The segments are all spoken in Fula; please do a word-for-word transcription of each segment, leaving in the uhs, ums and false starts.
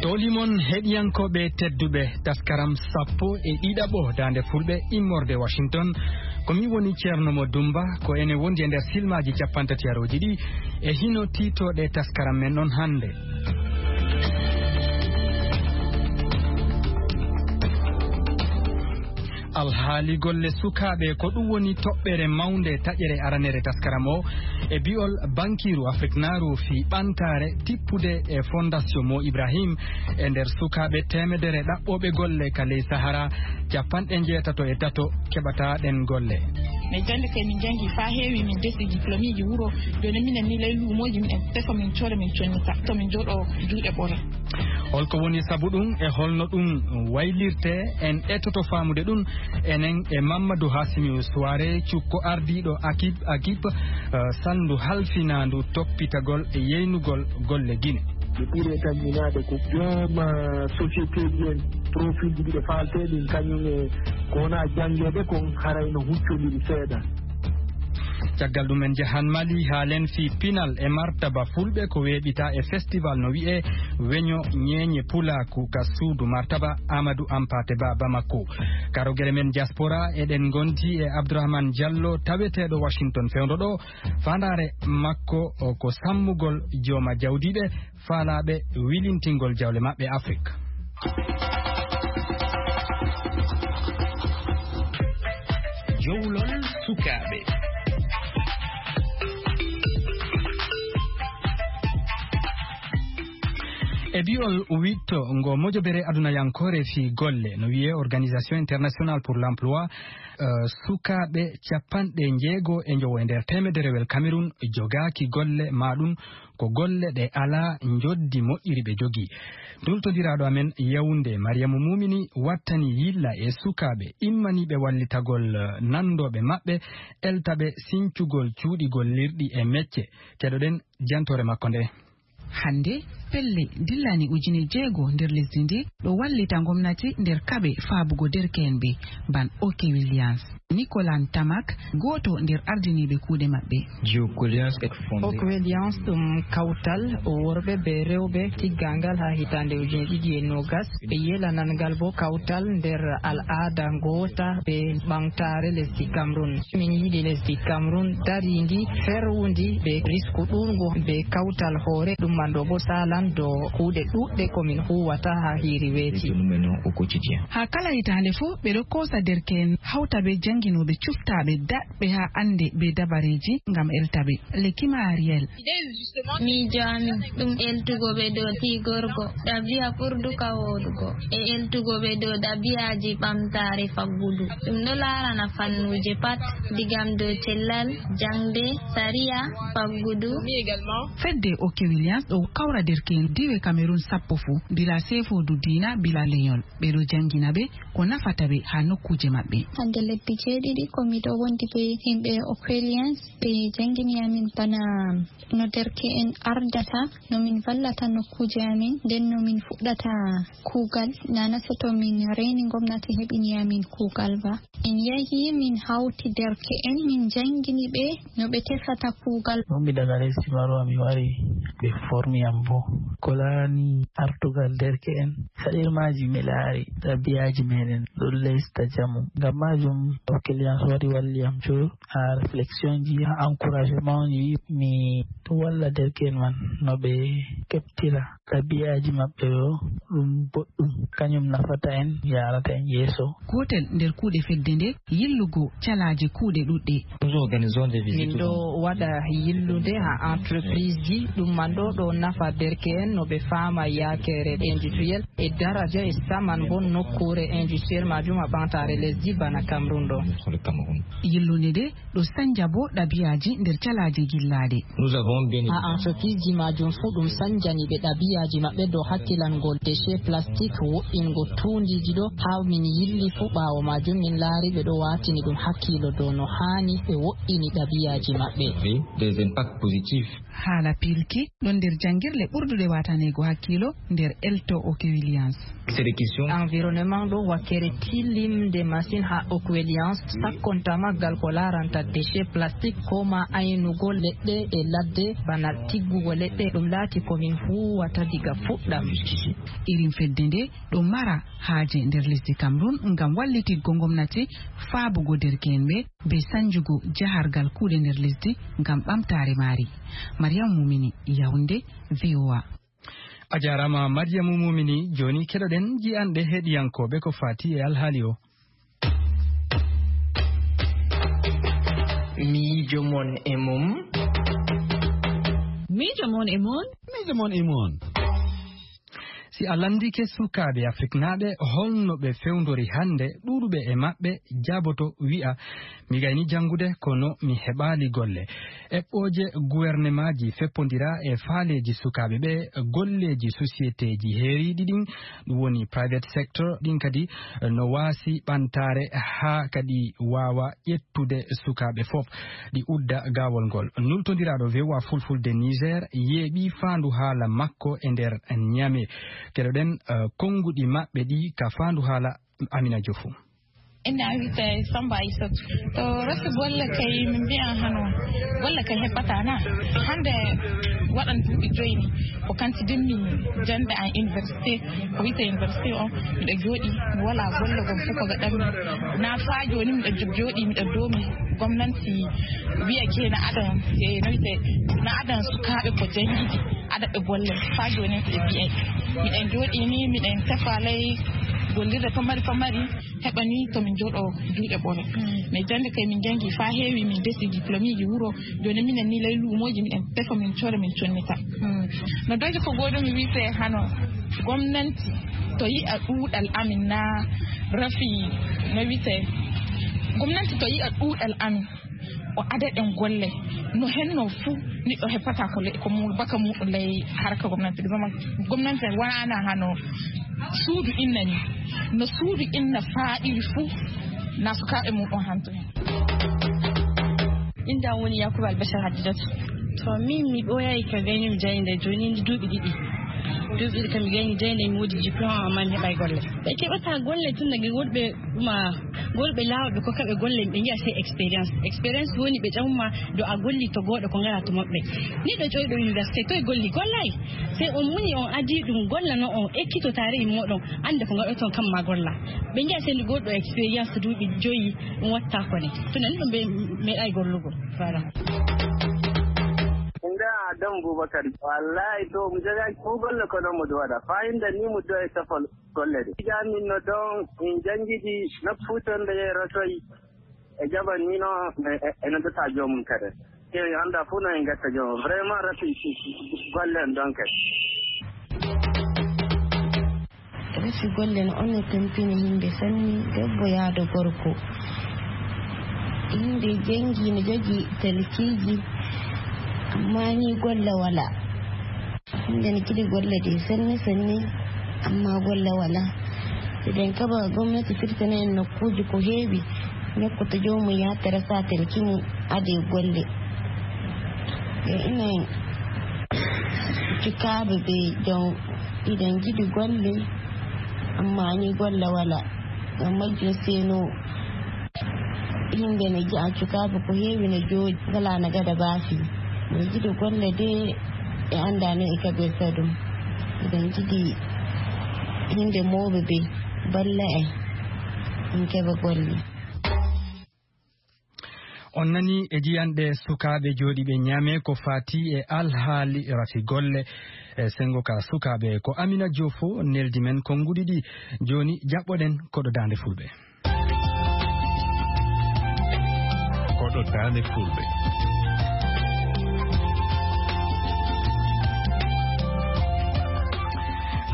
Ɗowli mon heɗiyankooɓe tedduɓe, taskaram sappo e ɗiɗaɓo Daande Fulɓe immorde Washington. Ko min woni Ceerno Mo Dumba, ko enen wondi e nder silmaaji cappantatiyarooji ɗi e hino tiitooɗe taskaram men on hannde. Alhaali golle sukaaɓe, ko ɗum woni toɓɓere mawnde taƴere aranere taskaram o. E bi'ol bankiiru Afrik Naaru fii ɓantaare tippude e Fondation Mo Ibrahim, e nder sukaaɓe teemedere ɗaɓɓooɓe golle ka ley Sahara, capanɗe njeetato e tato keɓataa ɗen golle. Min janngi kay, min janngi faa heewi, min desi diplômeji wuro. Jooni minen ni ley luumooji, miɗen tefa, min cooda, min connita, to min jooɗo juuɗe ɓore. Holko woni sabu ɗum e holno ɗum waylirte? En etoto faamude ɗum enen e Mamadou Hassimi Souare, cukko ardiiɗo Akib, Akib, eh, salndu halfinaandu toppitagol e yeynugol golle Gine. Ɓe ɓuri e taƴminaade ko jooma société ji en, profil ji ɗi ɓe faaltee ɗin, kañum e ko wona janngeede kon, haray no huccondiri seeɗa. Caggal ɗum, en njahan Mali, haalen fii pinal e martaba Fulɓe ko weeɓitaa e festival no wi'ee Weño Ñeeñe Pulaaku ka suudu martaba Amadou Hampâté Bâ Bamako. Karogere men diaspora, eɗen ngondi e Abdourahmane Diallo, taweteeɗo Washington fewndo ɗo. Faandaare makko o ko sammugol jooma jawdiiɓe faalaaɓe wilintingol jawle maɓɓe Afrik. Jowlol sukaaɓe. E bi'ol witto ngo mojobere adunayankoore fii golle, no wi'ee Organisation Internationale pour l'Emploi, eh, sukaaɓe capanɗe njeego e njowo e nder teemederewel Cameroun jogaaki golle, maa ɗum ko golle ɗe alaa njoddi moƴƴiri ɓe jogii. Nultondiraaɗo amen Yaoundé, Mariama Mumini, wattani yilla e sukaaɓe immaniiɓe wallitagol, eh, nanndooɓe maɓɓe, eltaɓe sincugol cuuɗi gollirɗi e mecce. Keɗoɗen jantoore makko nde. Hannde, pelle dillani ujine jeego nder lesdi ndi ɗo wallita ngomnati nder kaɓe faabugo derke'en ɓe, ban Oke Williams. Nicolas Ntamak, gooto nder ardiniiɓe kuuɗe maɓɓe. Oke Williams ɗum kawtal worɓe be rewɓe tiggangal haa hitaande ujine ɗiɗi e noogas. Ɓe yelanangal bo kawtal nder al'aada ngoota be ɓamtaare lesdi Cameroun. Min yiɗi lesdi Cameroun darindi, ferwundi, be risku ɗuuɗngu, be kawtal hoore, ɗum man ɗo bo saalan dow kuuɗe ɗuuɗɗe ko min huuwata haa hiiri weeti. Haa kala hitaande fuu, ɓe ɗo koosa derke'en, hawta be jannginooɓe cuftaaɓe, daɗɓe haa annde be dabareeji ngam elta ɓe. Lekima Ariel. Miijo amin ɗum eltugo ɓe dow tigorgo ɗabi'a ɓurduka wooɗugo, e eltugo ɓe dow ɗabi'aaji ɓamtaare faggudu. Ɗum ɗo laarana fannuuje pat, digam dow cellal, jaŋde, sariya, faggudu. Fedde Oke Williams ɗo kawra derke'en diiwe Cameroun sappo fuu, bilaa seefoodu diina, bilaa lenyol. Ɓe ɗo janngina ɓe ko nafata ɓe haa nokkuuje maɓɓe. Hannde lebbi jeeɗiɗi ko miɗo wondi be yimɓe Oke Williams, ɓe janngini amin bana no derke'en ardata, no min vallata nokkuuje amin, nden no min fuɗɗata kuugal. Nana seto min reyni ngomnati heɓini amin kuugal ba. Min yahi, min hawti derke'en, min janngini ɓe no ɓe tefata kuugal. Ɗum mi daga lesdi Marwa, mi wari, ɓe formi am bo. Ko laarani artugal derke'en, saɗirmaaji mi laari, ɗabi'aaji meɗen ɗo leesta jamu. Ngam maajum, Oke Williams wari walli am to haa réflexion ji, haa encouragement ji, mi walla derke'en man no ɓe keɓtira ɗabi'aaji maɓɓe ɗo ɗum boɗɗum, kañum nafata en, yaarata en yeeso. Gootel nder kuuɗe fedde nde, yillugo calaaje kuuɗe ɗuɗɗe. Min ɗo waɗa yillude haa entreprise ji, ɗum man ɗo ɗo nafa derke'en no ɓe faama yaakere industriel e daraja e saman bon nokkuure industriel maajum haa ɓamtaare lesdi bana Cameroun ɗo. Yillude nde ɗo sanja bo ɗabi'aaji nder calaaje gillaaɗe. Haa entreprise ji maajum fuu ɗum sanjani ɓe ɗabi'aaji maɓɓe dow hakkilangol déchet plastique, wo'ingo tuundiiji ɗo. Haa min yilli fuu ɓaawo maajum min laari ɓe ɗo waatini ɗum hakkiilo dow no haani ɓe wo'ini ɗabi'aaji maɓɓe. Des impacts positifs. Haala pilki ɗon nder janngirle ɓurduɗe waataneego hakkiilo nder elto Oke Williams. Environnement ɗo wakkere tilimde masin ha Oke Williams, sakkontama gal ko laaranta déchet plastique, ko ma aynugo leɗɗe e ladde, bana tiggugo leɗɗe, ɗum laati ko min huwata diga fuɗɗam. Irin fedde nde ɗo mara haaje nder lesdi Cameroun ngam wallititgo ngomnati faabugo derke'en ɓe be sanjugo jahargal kuuɗe nder lesdi ngam ɓamtaare maari. Mariam Mumini, Yaoundé, V O A. A jaaraama, Mariam Mumini. Jooni keɗoɗen ji'anɗe heɗiyankooɓe ko faati e alhaali o. Miijo mon e mum. Miijo mon e mum. Miijo mon e mum. Si a lanndike sukaaɓe Afriknaaɓe, holno ɓe fewndori hannde, ɗuuɗuɓe e maɓɓe jaaboto wi'a, "Mi gayni janngude, kono mi heɓaali golle." Eɓɓooje guwernemaaji feppondira e faaleeji sukaaɓe ɓe, golleeji sosiyeteeji heeriiɗi ɗin, ɗum woni private sector, ɗin kadi no waasi ɓantaare haa kadi waawa ƴettude sukaaɓe fof, ɗi udda gaawol ngol. Nultondiraaɗo V O A Fulfulde Niger yeeɓi faandu haala makko e nder Niamey. Keɗoɗen, eh, konnguɗi maɓɓe ɗi ka faandu haala Amina Diouf. Ina wiyte Samba Aissatu. To resi golle kay, min mbiyan hano golle kay heɓɓata na. Hannde waɗan duuɓi joyi ni, ko kanti dimmi jannde an université, ko wiyte université on, miɗo jooɗi, mi wala golle gom fof ko gaɗanmi. Na faa jooni miɗo jo-, jooɗi, miɗo doomi gomnanti wiya ke na adan, e no wiyte, na adan sukaaɓe ko janngidi, aɗa ɓe golle. Faa jooni miɗo mbiya, miɗen jooɗi ni, miɗen tefa ley gollirde pamari pamari, heɓa ni to min jooɗo juuɗe ɓore. Mais jannde kay min janngi faa heewi, min desi diplômeji wuro. Jooni minen ni ley luumooji miɗen tefa, min coora, min connita. No doje ko gooɗo mi wiyte hano gomnanti to yi'a ɗuuɗal amin na rafi, no wiyte, gomnanti to yi'a ɗuuɗal amin, o ada ɗen golle. No henno fuu, neɗɗo heɓata ko le-, ko mu-, baka muɗum ley harka gomnanti. Gomnanti wona hano suudu inna ni. No suudu inna faaɗiri fuu, na sukaaɓe muɗum hanto hen. Inda woni Yakuba Albashir Hadidatu. To min mi ɓooyayi ka gayni mi jayde jooni ni duuɓi ɗiɗi. Duuɓi ɗiɗi kam mi gayni jayde, mi woodi diplôme amma mi heɓaay golle. Ɓe keɓata golle tun daga worɓe ma, worɓe laawɓe ko kaɓe golle, ɓe ngi'a sey expérience. Expérience woni ɓe ƴamma do a golli to gooɗo ko ngara to maɓɓe. Ni ɗo ƴoyɗo université toy golli, gollay. Sey on muni on adi ɗum golla no on ekkito taarihi moɗon, annda ko ngaɗoton kam ma golla. Ɓe ngi'a sey ndi goɗɗo expérience duuɓi joyi, ɗum watta ko ne. Tun en ɗum ɓe meɗay gollugo. Voilà. Nda Adam Bubakar. Wallahi to mu jogaaki ko golle ko non mu waɗa. Fayinda ni mu doye safol golle ɗe. Jamin no don in jangidi nokku ton da ya rasoi. E jaban ni no e, e, e no data jomun kade. Ke anda fu no en gatta jomun. Vraiment rafi golle en don kade. Resi golle no on e tampini himɓe sanni, debbo yaado gorko. Himɓe jangi no jogi talkiiji, amma ni golle wala. Himɓe no jiɗi golle ɗe sanni sanni, amma golle wala. Eɗen kaba gomnati firtana en nokkuuji ko heewi, nokku to joomum yaha teresa talki mum ade golle. E ina sukaaɓe ɓe jon iɗen jiɗi golle, amma ni golle wala. Ngam majjum seno himɓe ne ji'a sukaaɓe ko heewi ne jooɗi, ngala na gada baafi. Ɓe jiɗi golle de, ɓe annda no e kaɓirta ɗum. Eɗen jiɗi himɓe mawɓe ɓe balla en, en keɓa golle. On nani e jiyanɗe sukaaɓe jooɗiiɓe Niamey ko faati e alhaali rafi golle e senngo ka sukaaɓe. Ko Amina Diouf neldi men konnguɗi ɗi. Jooni jaɓɓoɗen koɗo Daande Fulɓe. Koɗo Daande Fulɓe.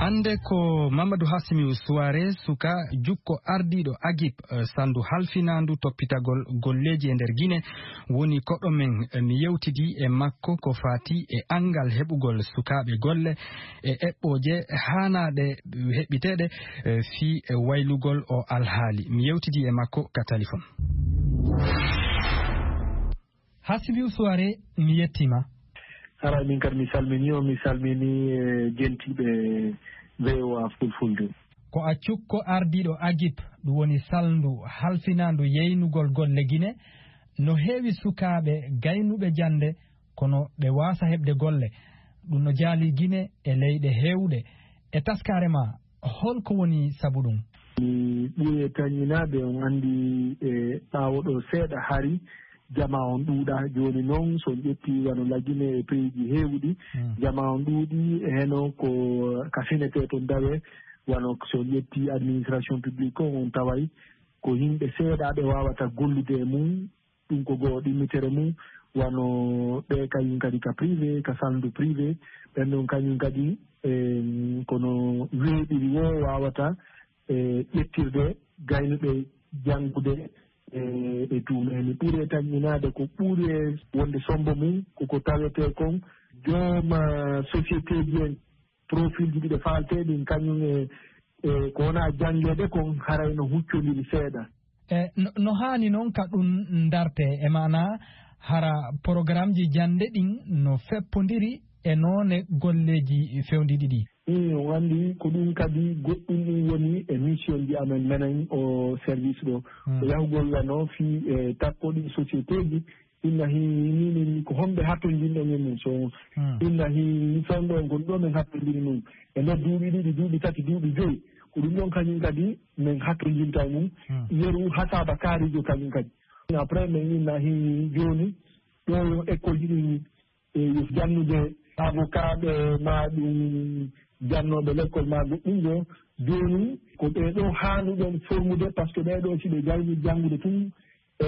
Hannde ko Mamadou Hassimiou Souare, suka jukko ardiiɗo Agip, eh, salndu halfinaandu toppitagol golleeji e nder Gine, woni koɗo men. Eh, mi yewtidi e makko ko faati e anngal heɓugol sukaaɓe golle e eɓɓooje haanaaɗe heɓɓiteeɗe, eh, fii e waylugol o alhaali. Mi yewtidi e makko ka talifon. Hassimiou Souare, mi yettiima. Ara min kadi mi salmini on, mi salmini e jentiiɓe V O A Fulfulde. Ko a cukko ardiiɗo agip, ɗum woni salndu halfinaandu yeynugol golle Gine. No heewi sukaaɓe gaynuɓe jannde, kono ɓe waasa heɓde golle. Ɗum no jaali Gine e leyɗe heewɗe. E taskaare ma, holko woni sabu ɗum? Mi ɓuri e tañinaade, on anndi e ɓaawo ɗo seeɗa hari, jama on ɗuuɗa. Jooni noon, so on ƴetti wano Lagine e peyiiji heewuɗi, jama on ɗuuɗi, e heno ko ka finetee toon dawe, wano so on ƴetti administration publique on, on taway ko yimɓe seeɗa ɓe waawata gollude e mum, ɗum ko goo ɗimmitere mum, wano ɓe kañum kadi ka privé, ka salndu privé, ɓen ɗon kañum kadi, em, kono weeɓiri woo waawata, e, ƴettirde gaynuɓe janngude, e, e duume. Mi ɓuri e tañminaade ko ɓuri e wonde sombo mum, ko ko tawetee kon jooma société ji en, profil ji ɗiɗi faaltee ɗin, kañum e, e, ko wona janngeede kon, haray no huccondiri seeɗa. E, no, no haani noon ka ɗum ndarte, e maana hara programmeji jannde ɗin no feppondiri e noone golleeji fewndiiɗi ɗi? Ii, on anndi ko ɗum kadi goɗɗum ɗum woni e mission ji amen menen o service ɗo. Hmm. Ko yahugol wano fii e takko ɗin société ji, inna hi-, ni, ni, ni ko honɓe hattonjinɗon e mum. So, hmm, inna hi-, ni fewndo on gon ɗo men hattonjini mum. E nder duuɓi ɗiɗi, duuɓi tati, duuɓi joyi. Ko ɗum ɗon kañum kadi men hattonjinta e mum. Hmm. Yeru hasaba kaarijo kañum kadi. Après men inna hi-, jooni ɗo yo école ji ɗin e yo jannude avocat ɓe ma ɗum jannooɓe l'école ma goɗɗum ɗo. Jooni ko ɓee ɗo haanuɗen formude, par ce que ɓee ɗo si ɓe jawni janngude tun, e,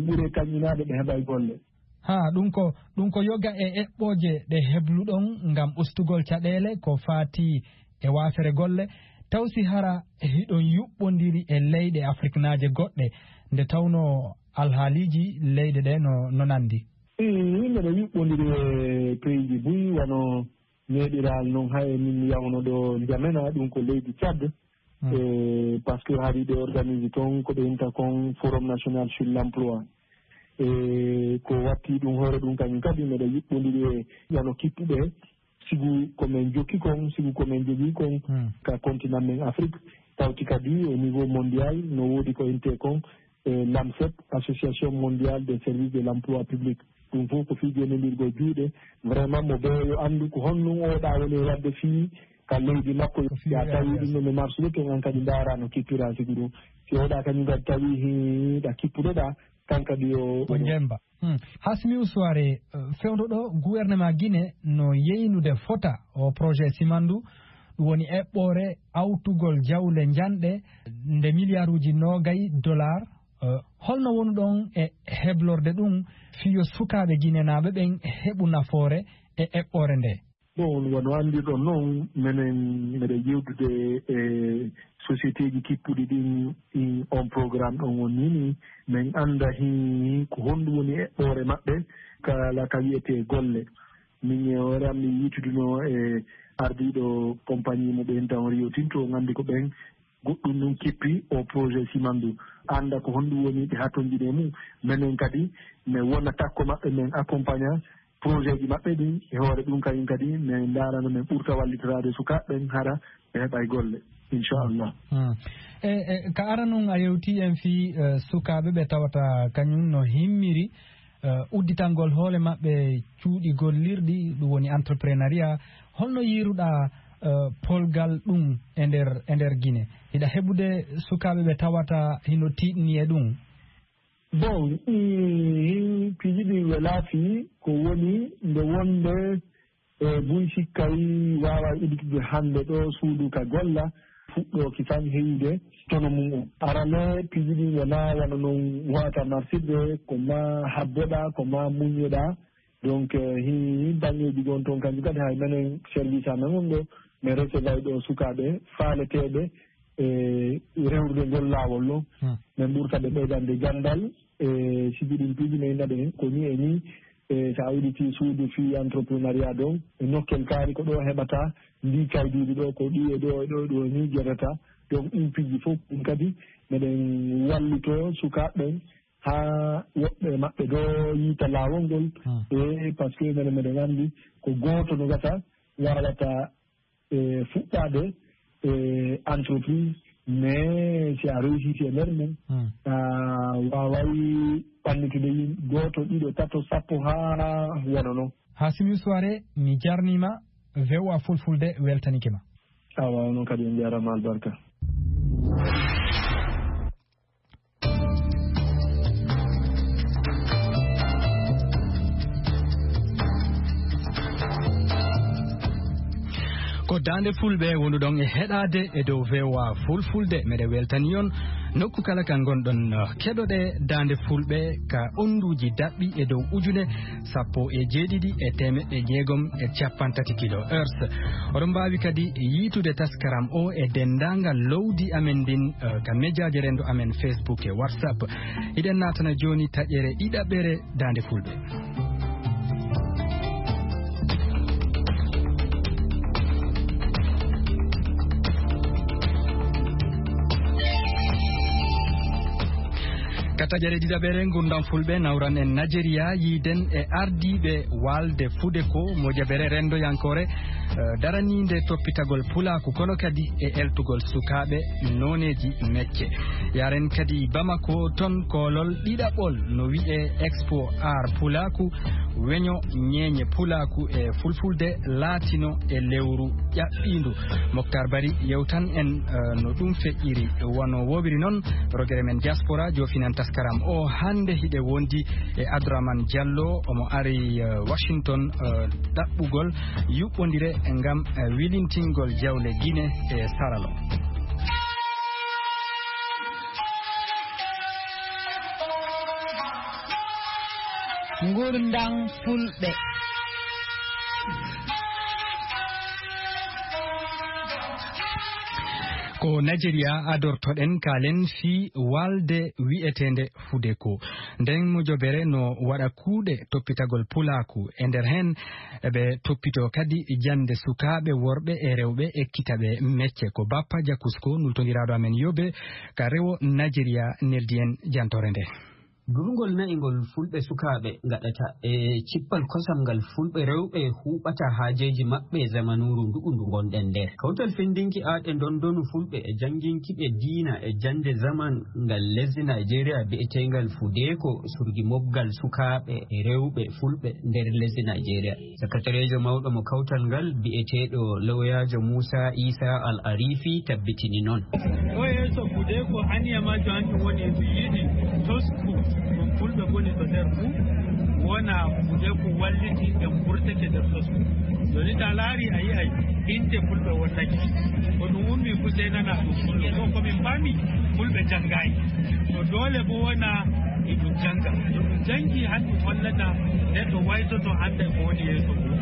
ɓure tañinaade ɓe heɓay golle. Ha, ɗum ko, ɗum ko yoga e eɓɓooje ɗe hebluɗon ngam ustugol caɗeele ko faati e waasere golle, taw si hara hiɗon yuɓɓondiri e leyɗe afriknaaje goɗɗe, nde tawnoo alhaaliiji leyɗe ɗe no, no nandi? Ii, miɗo yuɓɓondiri e peyiiji buy wano Neɗiral noon, hay min yawno ɗo Njamena, ɗum ko leydi Tchad. Mm. E, par ce que hari ɓe organise toon ko ɓe inta kon Forum National sur l'Emploi. E, ko watti ɗum hoore ɗum kañum kadi, meɗa yuɓɓondiri e wano kippuɓe, sibu ko men jokki kon, sibu ko men jogii kon, mm, ka continent men Afrique, tawti kadi au niveau mondial, no woodi ko inte kon, e, LAMSEP, Association Mondiale des Services de l'Emploi Public. Ɗum fof ko fii jeenondirgol juuɗe. Vraiment, mo beeyo anndu ko honno oɗa woni e waɗde fii ka leydi makko. Ko fii ya tawi ɗum no marsude toon, an kadi ndaara no kippira sibu ɗum. Si oɗa kañum kadi tawi hiɗa kippuɗoɗa, kan kadi yo. Ko njemba. Hmm. Hasmi Usuware, eh, fewndo ɗo, gouvernement Guinée no yeynude fota o projet Simandu, ɗum woni eɓɓoore awtugol jawle njanɗe nde miliyaaruuji noogay dollar. Eh, holno woni ɗon e heblorde ɗum fiyo sukaaɓe ginenaaɓe ɓen heɓu nafoore e eɓɓoore nde? Bon, wano anndirɗon noon, menen meɗen yewtude e sociétéji kippuɗi ɗin, ɗin on programme ɗon woni ni, men annda hin ko honɗum woni eɓɓoore maɓɓe kala ka wiyetee golle. Min e hoore am mi yiytuduno e ardiiɗo compagnie mo ɓe enta on Rio Tinto, on anndi ko ɓen goɗɗum ɗum kippi o projet Simandu. Annda ko honɗum woni ɓe hattonjini e mum. Menen kadi, men wona takko maɓɓe, men accompagna projet ji maɓɓe ɗin. E hoore ɗum kañum kadi, men ndaarano men ɓurta wallitoraade sukaaɓe ɓen hara ɓe heɓay golle, inchallah. Hmm. E, e, ka ara nun a yewti en fii, eh, sukaaɓe ɓe tawata kañum no himmiri, eh, udditangol hoore maɓɓe cuuɗi gollirɗi, ɗum woni entrepreneuriat. Holno yiiruɗaa, eh, polgal ɗum e nder, e nder Gine? Hiɗa heɓude sukaaɓe ɓe tawata hino tiiɗni e ɗum? Bon, i, piiji ɗi welaa fii ko woni nde wonde, e, buy sikkay waawa udditude hannde ɗo suudu ka golla, fuɗɗooki tan heyude tono mum on. Arane, piiji ɗin wonaa wano non wata marsirde, ko ma habboɗaa, ko ma muññoɗaa. Donc, eh, hi, hi baŋŋeeji gon toon kanji kadi hay menen service amen on ɗo, min recevay ɗo sukaaɓe faaleteeɓe, e rewrude ngol laawol ɗo. Hmm. Min ɓurta ɓe ɓeydande ganndal, e sibu ɗin piiji min naɓe heen ko ni e ni, e so a udditii suudu fii entrepreneuriat ɗon, e nokkel kaari ko ɗo heɓata ndi kaydiiji ɗo, ko ɗi e ɗo e ɗo e ɗo ni jeɗata. Donc, ɗin piiji fof ɗin kadi meɗen wallito sukaaɓe ɓen haa woɓɓe maɓɓe ɗo yiita laawol ngol. Hmm. E parce que mene meɗen anndi ko gooto no gasa waawata e fuɗɗaade e entreprise, mais si a réussiti e nder men, hmm, a waaway ɓannitude yim-, gooto, ɗiɗo, tato, sappo haa wona non. Hasim Youssouf Are, mi jarnima, V O A Fulfulde weltanike ma. Awa, onon kadi on jarama albarka. Ko Daande Fulɓe wonduɗon e heɗaade e dow V O A Fulfulde. Meɗe weltani on nokku kala ka ngonɗon. Keɗoɗe Daande Fulɓe ka onduuji daɓɓi e dow ujune sappo e jeeɗiɗi e teemeɗɗe jeegom e cappantati kilohertz. Oɗon mbaawi kadi yiitude taskaram o e denndaangal lowdi amen ndin, eh, ka mejaaji renndo amen Facebook e WhatsApp. Hiɗen naatana jooni taƴere ɗiɗaɓere Daande Fulɓe. Ka taƴere ɗiɗaɓere ngurndan Fulɓe, nawran en Najeriya, yiiden e ardiiɓe waalde Fude ko mojabere renndoyankoore, eh, daraniinde toppitagol pulaaku, kono kadi e eltugol sukaaɓe nooneeji mecce. Yaren kadi Bamako, ton koolol ɗiɗaɓol no wi'ee Expo Art Pulaaku, weño ñeeñe pulaaku e fulfulde laatino e lewru ƴaɓɓiindu. Moktar Bari yewtan en, eh, no ɗum feƴƴiri. Wano woowiri noon, rogere men diaspora joofinan taskaram o. Hannde hiɗe wondi e Abdourahmane Diallo, omo ari, eh, Washington, eh, ɗaɓɓugol yuɓɓondire ngam, eh, wilintingol jawle Gine e Saralo. Ngurndan Fulɓe. Ko Najeriya adortoɗen, kaalen fii waalde wi'eteende Fudeko. Nden mojobere no waɗa kuuɗe toppitagol pulaaku. E nder heen, ɓe toppitoo kadi jannde sukaaɓe worɓe e rewɓe, ekkita ɓe mecce. Ko Bappa Jakusko, nultondiraaɗo amen Yobe, ka rewo Najeriya, neldi en jantoore nde. Durngol na'i ngol Fulɓe sukaaɓe ngaɗata e cippal kosam ngal Fulɓe rewɓe huuɓata haajeeji maɓɓe e zamanuuru ndu'u ndu ngonɗen nder. Kawtal fenndinki aaɗe ndondonu Fulɓe e jannginki ɓe diina e jannde zaman ngal lesdi Najeriya bi'eteengal Fudeeko surgi mobgal sukaaɓe e rewɓe Fulɓe nder lesdi Najeriya. Sakatareejo mawɗo mo kawtal ngal, bi'eteeɗo lawyaajo Muusa Iisa Al Arifi, tabbitini noon. O yeeso Fudeeko, aniya majjo hanjum woni e mi yiɗi tosku mo Fulɓe ngoni to nder fuu, wona Fudeeko walliti en mburtake nder tosku. Jooni, ta laari, a yi'ay innde Fulɓe wonnake. Ko ɗum ummi fuu, sey nana ɗum Fulɓe. Ko, ko min paami, Fulɓe janngaay. To doole bo wona e ɗum jannga. To ɗum janngi, han ɗum hollata neɗɗo waytoto, annda ko woni yeeso mum.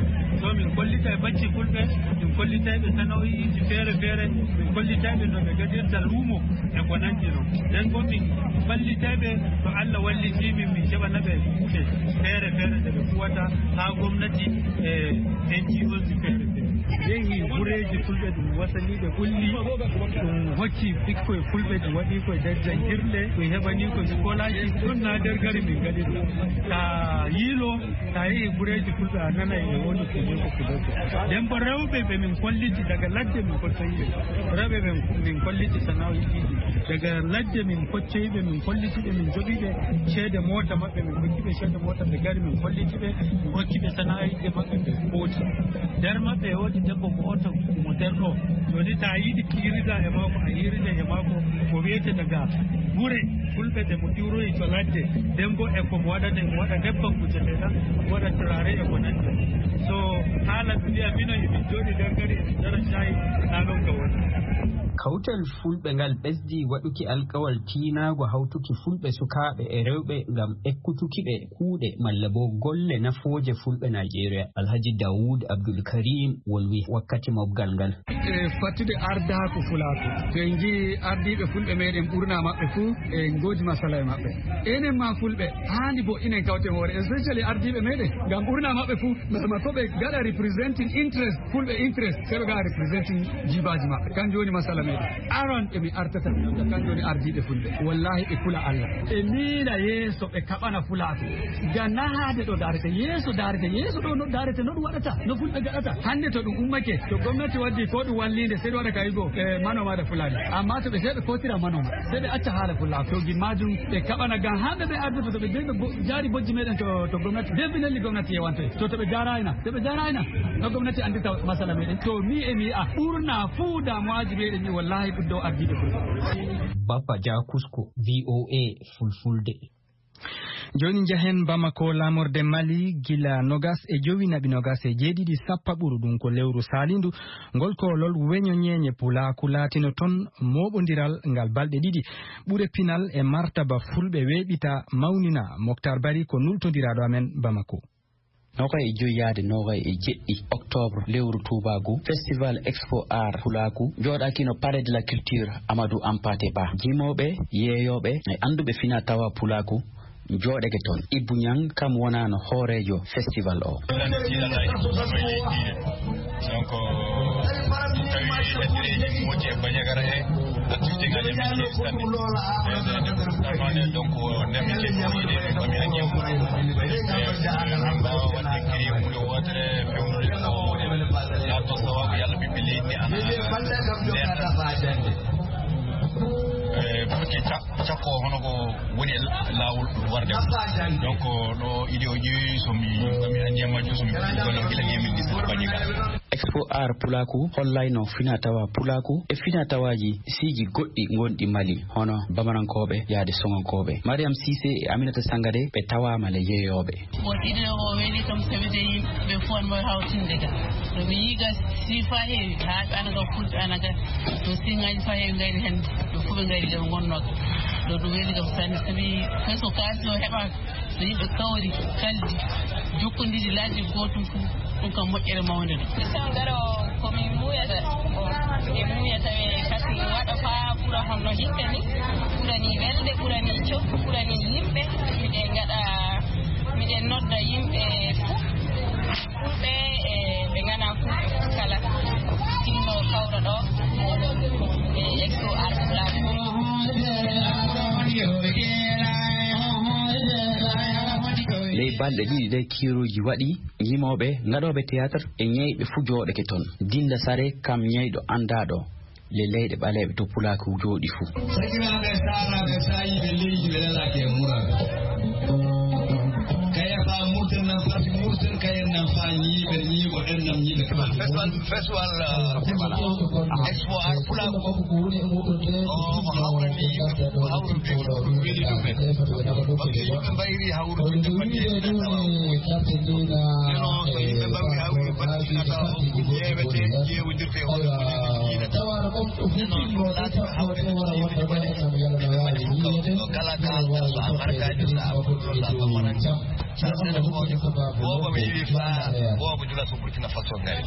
So min kollitay bacci Fulɓe, min kollitay ɓe sana'o'iiji feere feere, min kollitay ɓe no ɓe gaɗirta luumo e ko nanndi non. Nden bo min ballitay ɓe to Allah wallitii min, min keɓana ɓe kuuɗe feere feere ɗe ɓe kuwata haa gomnati e N G Oji feere feere. Yehi gureeji Fulɓe ɗum wasanii ɓe ɓulli, ɗum hokki ɓikkoy Fulɓe, ɗum waɗi koye nder janngirɗe, ɗum heɓani ko scholarship, ɗum na nder gari min ngaɗi ɗum. Ta yiilo, ta yehi gureeji Fulɓe a nanay e woni ko Fulɓe ko. Nden bo rewɓe ɓe min kolliti daga ladde min kolliti ɓe. Rewɓe ɓe min kolliti sana'o'i ɗiɗi. Daga ladde min kolliti ɓe, min kolliti ɓe, min joɓi ɓe ceede moota maɓɓe, min hokki ɓe ceede moota ɓe ngari, min kolliti ɓe, min hokki ɓe sana'o'i maɓɓe ɓe kooti. Nder maɓɓe e woodi debbo gooto mo nder ɗo. Jooni ta yiɗi kiirida e maako, a yiirida e maako, ko wiyete daga gure Fulɓe ɗe mo iwroyi to ladde. Nden bo e ko mo waɗata, mo waɗa nebbam kujeteeɗam, mo waɗa turare e ko nanndi. So haala mi wiya mino e min jooɗi nder gari, e min njara caayi, na ɗon ka woni. Kawtal Fulɓe ngal ɓesdi waɗuki alkawal tiinaago hawtuki Fulɓe sukaaɓe e rewɓe ngam ekkutuki ɓe kuuɗe malla bo golle nafooje Fulɓe Najeriya. Alhaji Dawud Abdul Karim wolwi wakkati mobgal ngal. E fattude ardaaku fulaaku. To en njii ardiiɓe Fulɓe meɗen ɓurna maɓɓe fuu e ngoodi masala e maɓɓe. Enen ma Fulɓe haandi bo inen kawten hoore, especially ardiiɓe meɗen. Ngam ɓurna maɓɓe fuu, ma, ma ko ɓe gaɗa representing interest, Fulɓe interest, sey ɓe gaɗa representing jiibaaji maɓɓe. Kanjum woni masala men. Aran ɓe mi artata mi nodda, kanko woni ardiiɓe fulɓe. Wallahi ɓe kula Allah. Ɓe miila yeeso, ɓe kaɓana Fulaaku. Ga nahaade ɗo daarete, yeeso daarete, yeeso ɗo no daarete, no ɗum waɗata, no fulɓe gaɗata. Hannde to ɗum ummake, to gomnati waddi ko ɗum walliinde, sey ɗum waɗa ka yigo, e, manoma da Fulani. Amma to ɓe sey ɓe kotira manoma, sey ɓe acca haala Fulaaku. To gimmaajum ɓe kaɓana ngam haa ɓe ɓe ardoto, to ɓe de-, ɓe bo-, jaari bojji meɗen to, to gomnati. Definitely gomnati yewantoy. To, to ɓe jaarayna, to ɓe jaarayna, no gomnati anndita masala meɗen. To mi e mi yi'a ɓurna fuu damuwaaji meɗen ɗi wallahi ɗum ɗo ardiiɓe fulɓe. Bappa Dia Kusko, V O A Fulfulde. Jooni njahen Bamako, laamorde Mali, gila nogas e jowi naɓi nogas e jeeɗiɗi sappa ɓuru ɗum ko lewru saalindu. Ngol koolol weño ñeeñe pulaaku laatino toon mooɓondiral ngal balɗe ɗiɗi. Ɓure pinal e martaba fulɓe weeɓita mawnina. Moktar Bari ko nultondiraaɗo amen Bamako. Noogay e joyi yaade noogay e jeɗɗi octobre lewru tuubaagu, festival Expo Art Pulaaku jooɗaakino Palais de la Culture Amadou Hampâté Bâ. Jimooɓe, yeeyooɓe e annduɓe fina tawa Pulaaku jooɗake toon. Ibbu Ñang kam wonaano hooreejo festival o. Donc, so tawi e dereji moƴƴi e Bandiagara he, activité ngaji amen keewi sanne. E, e, e, donc, nde min keewi ɗo yiide, ko mi anndi. E, en mbaawa waɗde créé huunde wootere, fewnude ko woni laatoo sawaabu yalla ɓiɓɓe leydi ndi ana neeɓa. E, pour que ca-, cakko hono ko woni e laawol warde. Donc, ɗo idée o ƴeewi, so mi, so mi anndi e majjum, so mi fuɗɗi gollal gila deux mille dix-sept Bandiagara. Expo Art Pulaaku hollayno fina tawa Pulaaku e fina tawaaji siiji goɗɗi gonɗi Mali, hono Bamanankooɓe yaade Soŋankooɓe. Mariam Cissé e Aminata Sangare ɓe tawaama le yeeyooɓe. Bon, idée o weli kam, sabi de yimɓe fof no hawtinde ga. No mi yiga si fa heewi, haa ɓe ana ga, fulɓe ana ga. To siŋaaji fa heewi ngari hannde, ɓe fof ɓe ngari ga, ɓe ngonnoo ga. Ɗo ɗum weli kam sanne, sabi hay so kaalis o heɓaaka, so yimɓe kawri, kaldi, jokkondiri laaji gootum fof, ɗum kam moƴƴere mawnde ɗum. Sangaro ko min muuyata, bon, ɓe muuya tawi kadi waɗa faa ɓura hono hikka ni, ɓurani welde, ɓurani coffu, ɓurani yimɓe. Miɗen ngaɗa, miɗen nodda yimɓe fof, fulɓe e ɓe nganaa fulɓe fof kala, tinno kawra ɗo e Expo Art Pulaaku. Ley balɗe ɗiɗi ɗe kiiruuji waɗi, yimooɓe ngaɗooɓe théâtre e ñeyɓe fuu jooɗake toon. Dinda Sare kam ñeyɗo anndaaɗo le leyɗe ɓaleeɓe to Pulaaku jooɗi fuu. Sakiraaɓe, saalaaɓe, saayiiɓe leydi, ɓe lelaaki e muraaɓe. Kaya faa murten nan fasi murten, kayen nan faa ñiiɓe ñiiɓo, en nan ñiiɓe. Festival, festival, uh, Expo Art Pulaaku. O, ko hawrani yimɓe fof, ko hawrude. Ko weli ɗum en. Parce que yimɓe mbayri hawrude. Neno, so yimɓe mbayri hawrude, mbaɗi fina tawa o fof ƴeewete, ƴeewondirte e hoore mum, yiilata. Neno, ɗum laati ko hawrande yimɓe mbaɗi. Ɓe mbaɗi fof kam, no kala kaalɗa, so albarkaajo, so aɓɓuɗo, so a tamaranke, so a senefoojo, boobo mi yiwi faa, boobo jula so Burkina Faso ngari.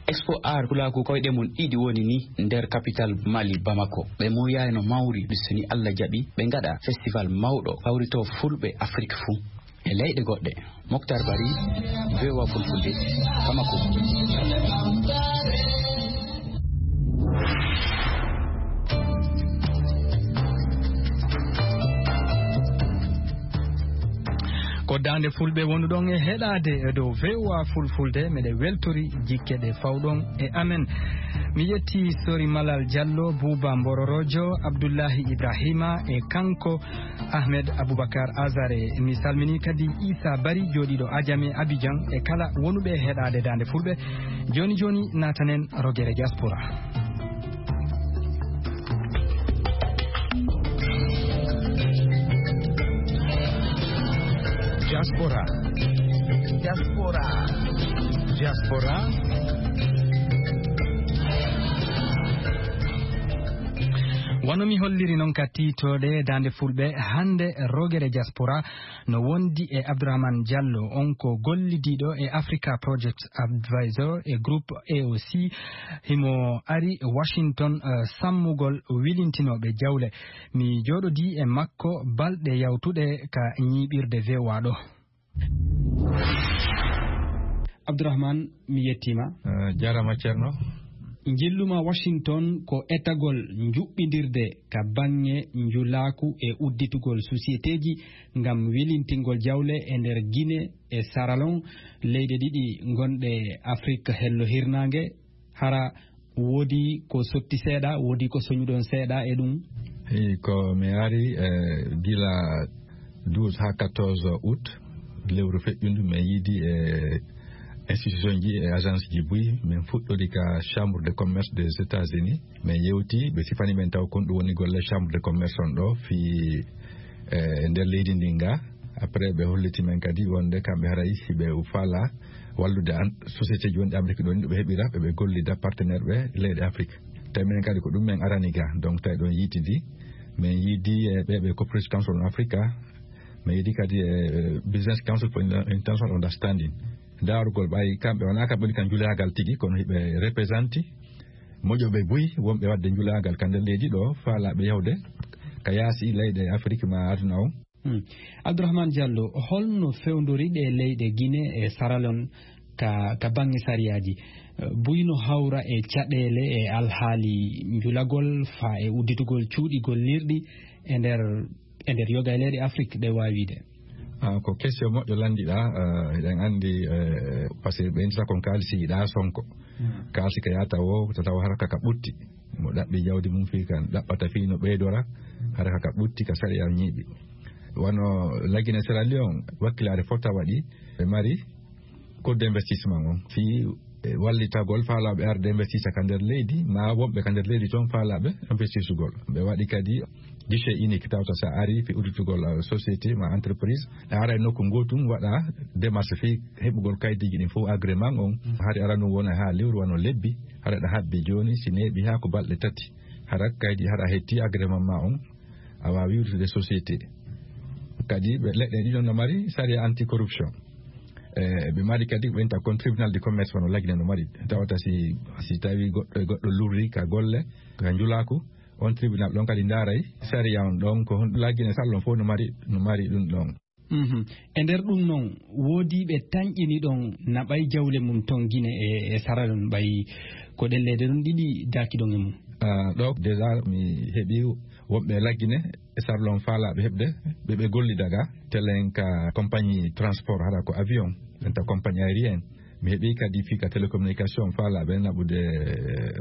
Expo Art Pulaaku koyɗe mum ɗiɗi woni ni nder capital Mali, Bamako. Ɓe muuyayno mawri, so ni Allah jaɓi, ɓe ngaɗa festival mawɗo, hawritoo fulɓe Afrik fuu. E leyɗe goɗɗe, Moktar Bari, V O A Fulfulde, Bamako. Ko Daande Fulɓe wonuɗon e heɗaade e dow V O A Fulfulde, meɗe weltori jikke ɗe fawɗon e amen. Mi yetti Sori Malal Diallo, Buuba Mbororojo, Abdullahi Ibrahima e kanko Ahmed Abubakar Azare. Mi salmini kadi Isa Bari, jooɗiiɗo Ajame Abidjan, e kala wonuɓe heɗaade Daande Fulɓe. Jooni jooni, naatanen rogere diaspora. Diaspora. Diaspora. Diaspora. Wano mi holliri non ka tiitooɗe Daande Fulɓe, hannde rogere diaspora no wondi e Abdourahmane Diallo, on ko gollidiiɗo e Africa Project Advisor e groupe A O C. Himo ari Washington, eh, sammugol wilintinooɓe jawle. Mi jooɗodii e makko balɗe yawtuɗe ka ñiiɓirde V O A ɗo. Abdourahmane, mi yettiima. Eh, jaaraama, Ceerno. Njilluma Washington ko etagol njuɓɓindirde ka baŋŋe njulaaku e udditugol sosiyeteeji ngam welintingol jawle e nder Gine e Saralon, leyɗe ɗiɗi gonɗe Afrik hello hirnaange. Hara woodi ko sotti seeɗa, woodi ko soñuɗon seeɗa e ɗum? Eyi, ko mi ari, eh, gila douze haa quatorze août, lewru feƴƴundu, min yiidi e institution ji e agence ji buy, min fuɗɗori ka Chambre de Commerce des États-Unis. Min yewti, ɓe sifani min taw kon ɗum woni golle Chambre de Commerce on ɗo fii, eh, nder leydi ndin ga. Après, ɓe holliti min kadi wonde kamɓe haray hiɓe faala wallude an, société ji wonɗi Amérique ɗon, ɓe heɓira, ɓe, ɓe gollida partenaire ɓe leyɗe Afrique. Tawi minen kadi ko ɗum min arani ga. Donc, tawi ɗon yiitidi, min yiidi e ɓe, ɓe Cooperation Council on Africa, min yiidi kadi e Business Council for International Understanding. Daarugol ɓay kamɓe wonaa kamɓe woni ka njulaagal tigi, kono hiɓe represanti moƴoɓe buy wonɓe waɗde njulaagal ka nder leydi ɗo, faalaaɓe yawde ka yaasi leyɗe Afrique ma aduna on. Hmm. Abdourahmane Diallo, holno fewndori ɗe leyɗe Gine e Saralon ka, ka baŋŋe sariyaaji? Eh, buy no hawra e caɗeele e alhaali njulagol faa e udditugol cuuɗi gollirɗi e nder, e nder yoga e leyɗe Afrik ɗe waawiide? Ah, ko question moƴƴo lanndiɗaa, eh, eɗen anndi, eh, parce que ɓe inndata kon kaalisi yiɗaa sonko. Hmm. Kaalisi ka yaata wo, tata wo hara ka ka ɓutti. Mo ɗaɓɓi jawdi mum fii kan, ɗaɓɓata fii no ɓeydora, hara ka ka ɓutti ka sariya ñiiɓi. Wano Lagine Sierra Leone, wakkilaare fota waɗi, ɓe mari Cour d'investissement on. Fii, eh, wallitagol faalaaɓe arde investisa ka nder leydi, maa wonɓe ka nder leydi toon faalaaɓe investisugol. Ɓe waɗi kadi guichet unique, tawta sa ari fii udditugol, eh, société maa entreprise, a ara e nokku ngootum, waɗa démarche fii heɓugol kaydiiji ɗin fof, agrément on. Hari ara ɗum wona haa lewru wano lebbi, hara ɗa habbi jooni, si neeɓi haa ko balɗe tati, hara kaydi, hara a hetti agrément ma on, a waawi wirtude société. Kadi ɓe leɗɗe ɗiɗon no mari sariya anti-corruption. E, ɓe mari kadi ko ɓenta kon tribunal de commerce wano Lagine no mari. Tawata si, si tawi goɗɗo e goɗɗo lurri ka golle, ka njulaaku, on tribunal ɗon kadi ndaaray sariya on ɗon, ko hon Lagine Saralon fof no mari, no mari ɗum ɗon. Mhm. E nder ɗum noon, woodii ɓe tanƴini ɗon na ɓay jawle mum ton Gine e, e Saralon ɓay ko ɗen leyɗe ɗon ɗiɗi daaki ɗon e mum? Ah, ɗo déjà mi heɓi wonɓe Lagine e Saralon faalaaɓe heɓde, ɓe, ɓe gollida ga, telen ka compagnie transport, hara ko avion, ɓen ta compagnie aérienne. Mi heɓi kadi fii ka télécommunication faalaaɓe naɓude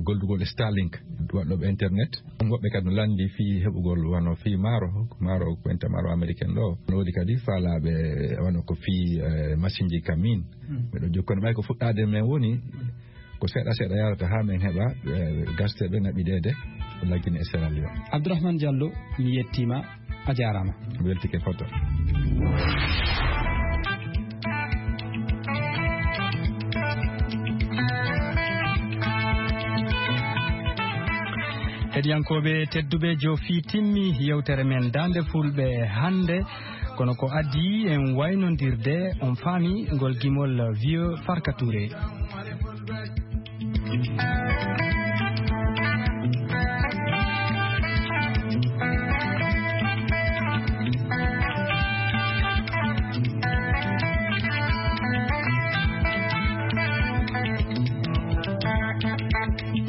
gollugol e Starlink, waɗɗoɓe internet. Ɗum woɓɓe kadi no lanndi fii heɓugol wano fii maaro, maaro, ɓenta maaro américain ɗo. No woodi kadi faalaaɓe wano ko fii, eh, masinji ka min. Hmm. Miɗo jokkude ɓay ko fuɗɗaade men woni, ko seeɗa seeɗa yarata haa men heɓa, eh, gasteeɓe naɓideede Lagine e Sierra Leone. Abdourahmane Diallo, mi yettiima, a jaaraama. Mi weltike foto. Heɗiyankooɓe tedduɓe, joofii timmi yewtere men Daande Fulɓe hannde. Kono ko adii en waynondirde, on faami ngol gimol Vieux Farka Touré.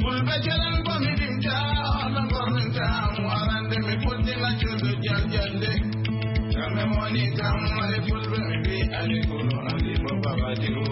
Fulɓe jalen ko mi ɗimta, no gorminta mo arande mi fuddina cuuɗo jaljande. Kamɓe moni kam, ay fulɓe mi mbi ali kulu andi mo babadiru.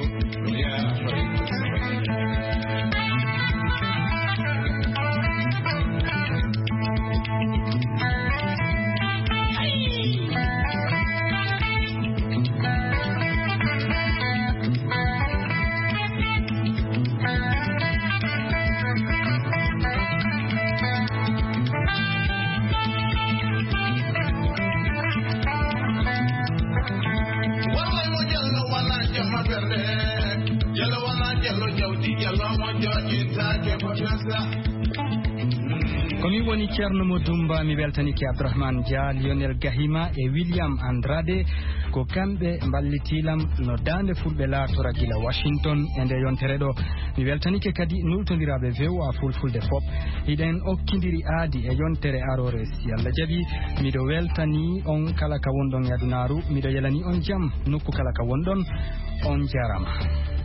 Ko min woni Ceerno Mo Dumba, mi weltanike Abdourahmane Dia, Lionel Gahima e William Andrade. Ko kamɓe mballitiilam no Daande Fulɓe laartora gila Washington e nde yontere ɗo. Mi weltanike kadi nultondiraaɓe V O A Fulfulde fop. Hiɗen okkindiri aadi e yontere aroore, si Allah jaɓi. Miɗo weltani on kala ka wonɗon e adunaaru. Miɗo yelani on jam nokku kala ka wonɗon. On jaaraama.